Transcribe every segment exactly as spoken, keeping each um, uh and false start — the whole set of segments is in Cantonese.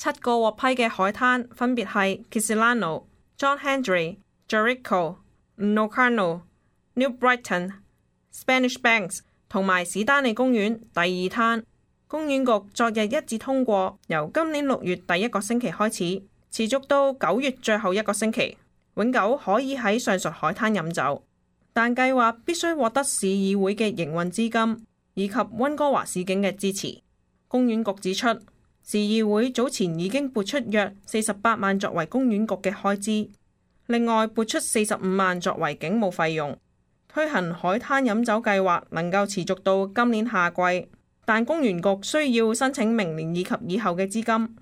七個獲批嘅海灘分別係 Kisilano、John Hendry、Jericho、Locarno、New Brighton、Spanish Banks 同埋史丹利公園第二灘。公園局昨日一致通過，由今年六月第一個星期開始，持續到九月最後一個星期，永久可以喺上述海灘飲酒，但計劃必須獲得市議會嘅營運資金以及溫哥華市警嘅支持。公園局指出，市議會早前已經撥出約四十八萬作為公園局嘅開支，另外撥出四十五萬作為警務費用。推行海灘飲酒計劃能夠持續到今年夏季，但公園局需要申請明年以及以後嘅資金。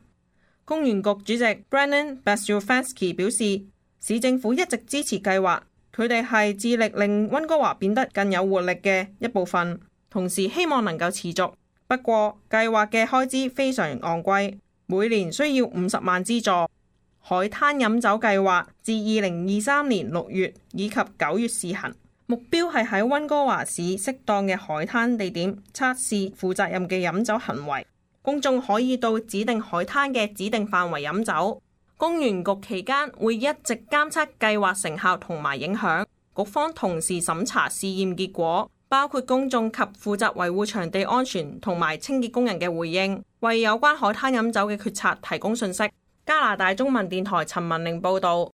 公園局主席 Brennan Basiufanski 表示，市政府一直支持計劃，佢哋係致力令溫哥華變得更有活力嘅一部分，同時希望能夠持續。不過計劃嘅開支非常昂貴，每年需要五十萬資助。海灘飲酒計劃自二零二三年六月以及九月試行，目標係喺溫哥華市適當嘅海灘地點測試負責任嘅飲酒行為，公眾可以到指定海灘嘅指定範圍飲酒。公園局期間會一直監測計劃成效同埋影響，局方同時審查試驗結果，包括公眾及負責維護場地安全同埋清潔工人嘅回應，為有關海灘飲酒嘅決策提供信息。加拿大中文電台陳文玲報導。